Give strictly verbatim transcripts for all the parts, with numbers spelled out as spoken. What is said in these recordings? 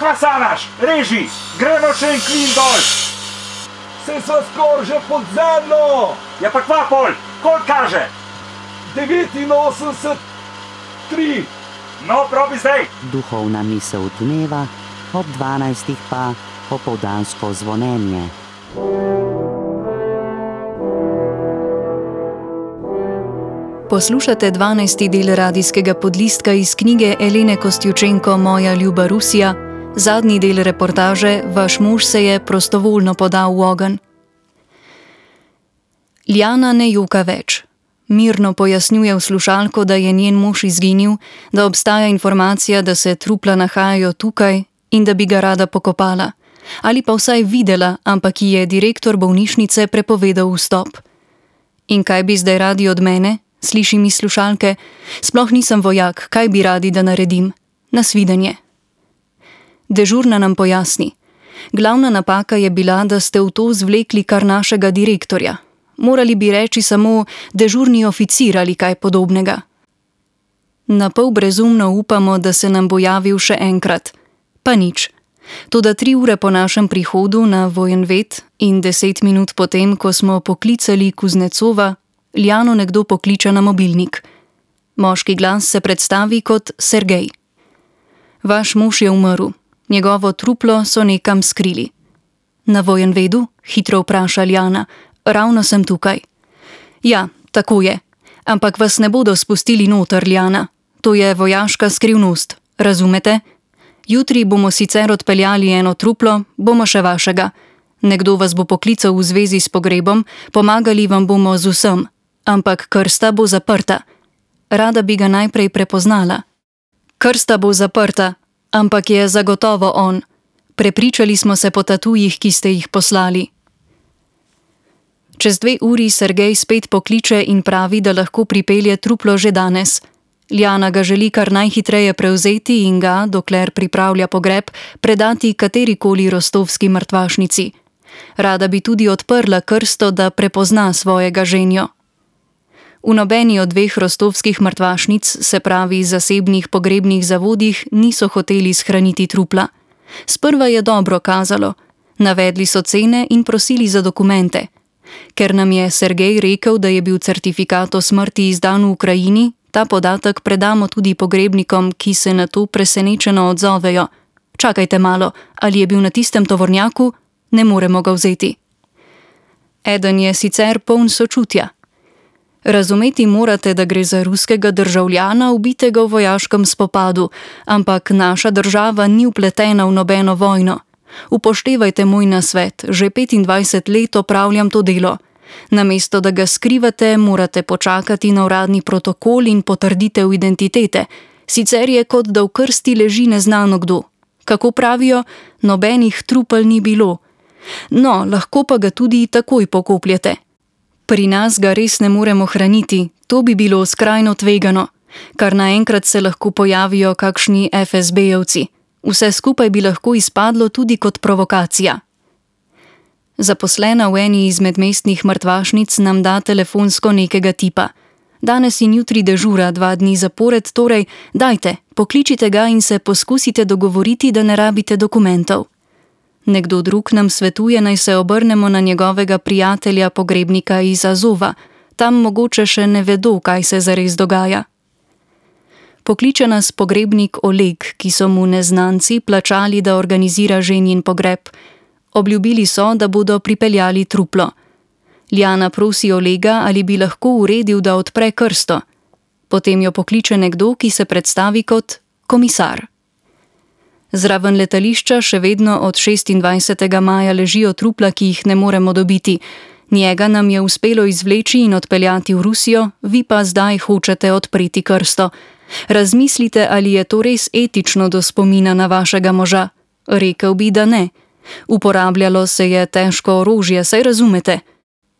Kva sanaš? Reži! Gremo še en klin dol! Se sva skor že pod zemljo! Ja pa kva pol? Koliko kaže? devetinosemdeset tri. No, probi zdaj! Duhovna misel dneva, ob dvanajstih pa opoldansko zvonjenje. Poslušate dvanajsti del radijskega podlistka iz knjige Elene Kostjučenko Moja ljuba Rusija, zadnji del reportaže Vaš mož se je prostovoljno podal v ogenj. Ljana ne joka več. Mirno pojasnjuje v slušalko, da je njen mož izginil, da obstaja informacija, da se trupla nahajajo tukaj in da bi ga rada pokopala. Ali pa vsaj videla, ampak ji je direktor bolnišnice prepovedal vstop. In kaj bi zdaj radi od mene? Slišim iz slušalke. Sploh nisem vojak, kaj bi radi, da naredim? Nasvidenje. Dežurna nam pojasni. Glavna napaka je bila, da ste v to zvlekli kar našega direktorja. Morali bi reči samo dežurni oficir ali kaj podobnega. Napol brezumno upamo, da se nam bo javil še enkrat. Pa nič. Toda tri ure po našem prihodu na Vojenvet in deset minut potem, ko smo poklicali Kuznecova, Ljano nekdo pokliče na mobilnik. Moški glas se predstavi kot Sergej. Vaš mož je umrl. Njegovo truplo so nekam skrili. Na Vojenvedu? Hitro vpraša Ljana. Ravno sem tukaj. Ja, tako je. Ampak vas ne bodo spustili noter, Ljana. To je vojaška skrivnost. Razumete? Jutri bomo sicer odpeljali eno truplo, bomo še vašega. Nekdo vas bo poklical v zvezi s pogrebom, pomagali vam bomo z vsem. Ampak krsta bo zaprta. Rada bi ga najprej prepoznala. Krsta bo zaprta, ampak je zagotovo on. Prepričali smo se po tatujih, ki ste jih poslali. Čez dve uri Sergej spet pokliče in pravi, da lahko pripelje truplo že danes. Ljana ga želi kar najhitreje prevzeti in ga, dokler pripravlja pogreb, predati katerikoli rostovski mrtvašnici. Rada bi tudi odprla krsto, da prepozna svojega ženjo. V nobeni od dveh rostovskih mrtvašnic, se pravi zasebnih pogrebnih zavodih, niso hoteli shraniti trupla. Sprva je dobro kazalo. Navedli so cene in prosili za dokumente. Ker nam je Sergej rekel, da je bil certifikat o smrti izdan v Ukrajini, ta podatek predamo tudi pogrebnikom, ki se na to presenečeno odzovejo. Čakajte malo, ali je bil na tistem tovornjaku? Ne moremo ga vzeti. Eden je sicer poln sočutja. Razumeti morate, da gre za ruskega državljana, ubitega v vojaškem spopadu, ampak naša država ni vpletena v nobeno vojno. Upoštevajte moj nasvet, že petindvajset let opravljam to delo. Namesto da ga skrivate, morate počakati na uradni protokol in potrditev identitete, sicer je kot da v krsti leži neznano kdo. Kako pravijo, nobenih trupel ni bilo. No, lahko pa ga tudi takoj pokopljete. Pri nas ga res ne moremo hraniti, to bi bilo skrajno tvegano, kar naenkrat se lahko pojavijo kakšni ef es bejevci. Vse skupaj bi lahko izpadlo tudi kot provokacija. Zaposlena v eni izmed mestnih mrtvašnic nam da telefonsko nekega tipa. Danes in jutri dežura, dva dni zapored, torej dajte, pokličite ga in se poskusite dogovoriti, da ne rabite dokumentov. Nekdo drug nam svetuje, naj se obrnemo na njegovega prijatelja pogrebnika iz Azova. Tam mogoče še ne vedo, kaj se zares dogaja. Pokliče nas pogrebnik Oleg, ki so mu neznanci plačali, da organizira ženin pogreb. Obljubili so, da bodo pripeljali truplo. Ljana prosi Olega, ali bi lahko uredil, da odpre krsto. Potem jo pokliče nekdo, ki se predstavi kot komisar. Zraven letališča še vedno od šestindvajsetega maja ležijo trupla, ki jih ne moremo dobiti. Njega nam je uspelo izvleči in odpeljati v Rusijo, vi pa zdaj hočete odpreti krsto. Razmislite, ali je to res etično do spomina na vašega moža. Rekel bi, da ne. Uporabljalo se je težko orožje, saj razumete.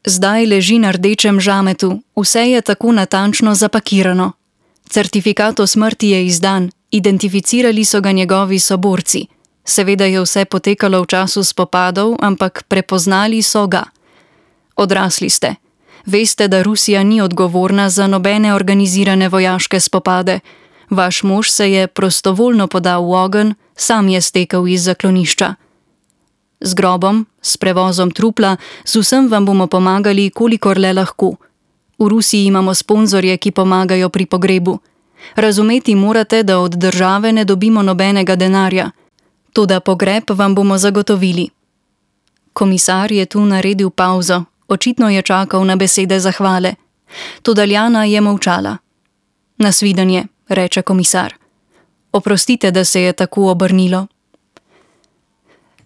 Zdaj leži na rdečem žametu, vse je tako natančno zapakirano. Certifikat o smrti je izdan, identificirali so ga njegovi soborci. Seveda je vse potekalo v času spopadov, ampak prepoznali so ga. Odrasli ste. Veste, da Rusija ni odgovorna za nobene organizirane vojaške spopade. Vaš mož se je prostovoljno podal v ogenj, sam je stekel iz zaklonišča. Z grobom, s prevozom trupla, z vsem vam bomo pomagali, kolikor le lahko. V Rusiji imamo sponzorje, ki pomagajo pri pogrebu. Razumeti morate, da od države ne dobimo nobenega denarja. Toda pogreb vam bomo zagotovili. Komisar je tu naredil pauzo, očitno je čakal na besede zahvale. Toda Ljana je molčala. Nasvidenje, reče komisar. Oprostite, da se je tako obrnilo.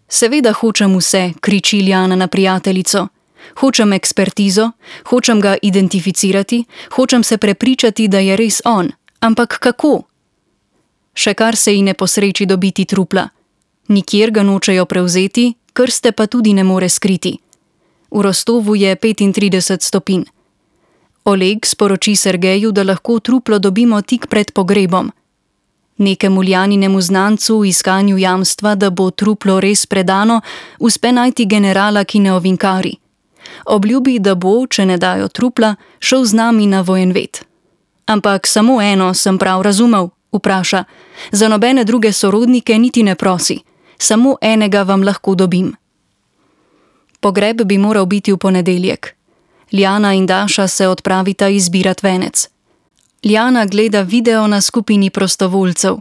Seveda hočem vse, kriči Ljana na prijateljico. Hočem ekspertizo, hočem ga identificirati, hočem se prepričati, da je res on. Ampak kako? Še kar se ji ne posreči dobiti trupla. Nikjer ga nočejo prevzeti, krste pa tudi ne more skriti. V Rostovu je petintrideset stopinj. Oleg sporoči Sergeju, da lahko truplo dobimo tik pred pogrebom. Nekemu Ljaninemu znancu v iskanju jamstva, da bo truplo res predano, uspe najti generala, ki ne ovinkari. Obljubi, da bo, če ne dajo trupla, šel z nami na vojenvet. Ampak samo eno sem prav razumel, vpraša. Za nobene druge sorodnike niti ne prosi. Samo enega vam lahko dobim. Pogreb bi moral biti v ponedeljek. Ljana in Daša se odpravita izbirat venec. Ljana gleda video na skupini prostovoljcev.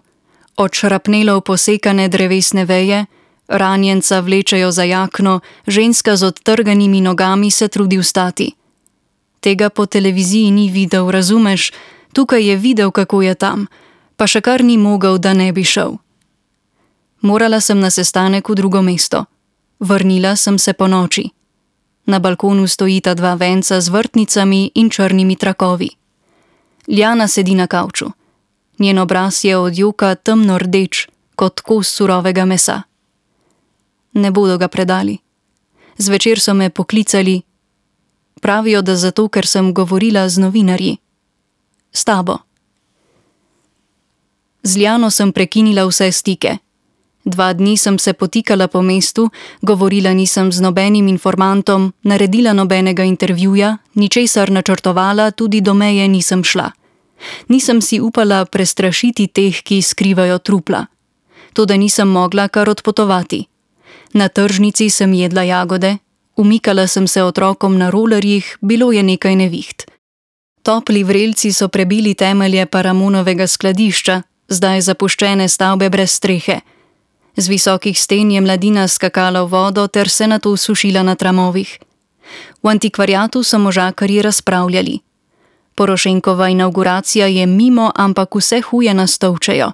Od šrapnelov posekane drevesne veje, ranjenca vlečejo za jakno, ženska z odtrganimi nogami se trudi vstati. Tega po televiziji ni videl, razumeš? Tukaj je videl, kako je tam, pa še kar ni mogel, da ne bi šel. Morala sem na sestanek v drugo mesto. Vrnila sem se po noči. Na balkonu stojita dva venca z vrtnicami in črnimi trakovi. Ljana sedi na kavču. Njen obraz je od joka temno rdeč, kot kos surovega mesa. Ne bodo ga predali. Zvečer so me poklicali. Pravijo, da zato, ker sem govorila z novinarji. S tabo. Z Ljano sem prekinila vse stike. Dva dni sem se potikala po mestu, govorila nisem z nobenim informantom, naredila nobenega intervjuja, ničesar načrtovala, tudi do meje nisem šla. Nisem si upala prestrašiti teh, ki skrivajo trupla. Toda nisem mogla kar odpotovati. Na tržnici sem jedla jagode, umikala sem se otrokom na rolerjih, bilo je nekaj neviht. Topli vrelci so prebili temelje Paramonovega skladišča, zdaj zapuščene stavbe brez strehe. Z visokih sten je mladina skakala v vodo ter se nato sušila na tramovih. V antikvariatu so možakarji razpravljali. Porošenkova inavguracija je mimo, ampak vse huje nas tolčejo.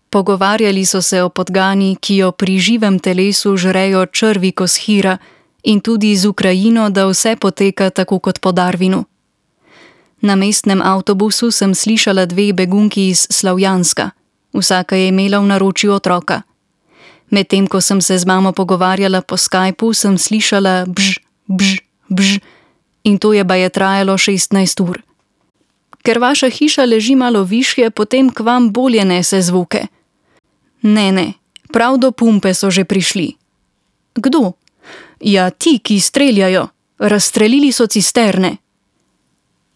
Pogovarjali so se o podgani, ki jo pri živem telesu žrejo črvi Koshira, in tudi z Ukrajino, da vse poteka tako kot po Darwinu. Na mestnem avtobusu sem slišala dve begunki iz Slavjanska. Vsaka je imela v naročju otroka. Medtem ko sem se z mamo pogovarjala po Skypu, sem slišala bž, bž, bž in to je baje trajalo šestnajst ur. Ker vaša hiša leži malo višje, potem k vam bolje nese zvuke. Ne, ne, prav do pumpe so že prišli. Kdo? Ja, ti, ki streljajo. Razstrelili so cisterne.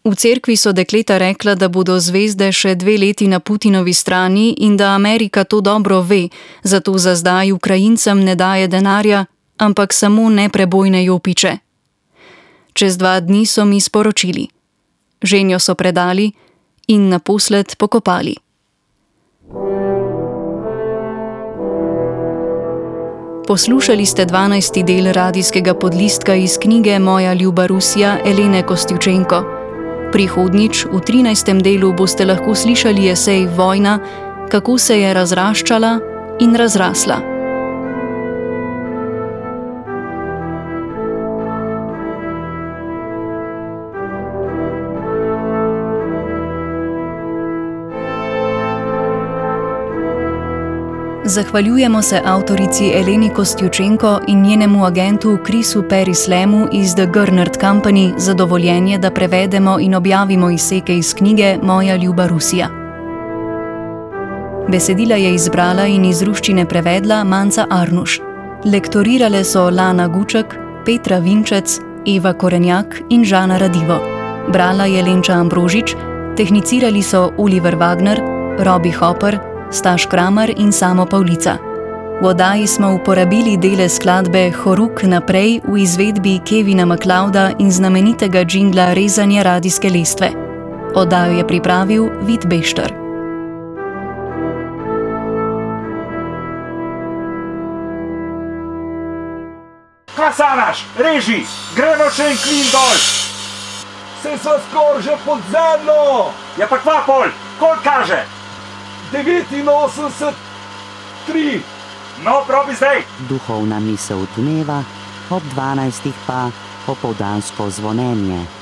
V cerkvi so dekleta rekla, da bodo zvezde še dve leti na Putinovi strani in da Amerika to dobro ve, zato za zdaj Ukrajincem ne daje denarja, ampak samo neprebojne jopiče. Čez dva dni so mi sporočili. Ženjo so predali in naposled pokopali. Poslušali ste dvanajsti del radijskega podlistka iz knjige Moja ljuba Rusija Elene Kostjučenko. Prihodnjič, v trinajstem delu, boste lahko slišali esej Vojna, kako se je razraščala in razrasla. Zahvaljujemo se avtorici Eleni Kostjučenko in njenemu agentu Chrisu Perislemu iz The Gernert Company za dovoljenje, da prevedemo in objavimo izseke iz knjige Moja ljuba Rusija. Besedila je izbrala in iz ruščine prevedla Manca Arnuš. Lektorirale so Lana Guček, Petra Vinčec, Eva Korenjak in Žana Radivo. Brala je Lenča Ambrožič, tehnicirali so Oliver Wagner, Robi Hopper, Staš Kramer in Samo Pavlica. V oddaji smo uporabili dele skladbe Horuk naprej v izvedbi Kevina MacLeoda in znamenitega džingla Rezanje radijske lestve. Oddajo je pripravil Vid Bešter. Kaj sanaš? Reži! Gremo še en klin dol! Se sva skoraj že pod zemljo! Ja pa kva pol? Koliko kaže? devetinosemdeset tri. No, probi zdaj! Duhovna misel dneva, ob dvanajstih pa opoldansko zvonjenje.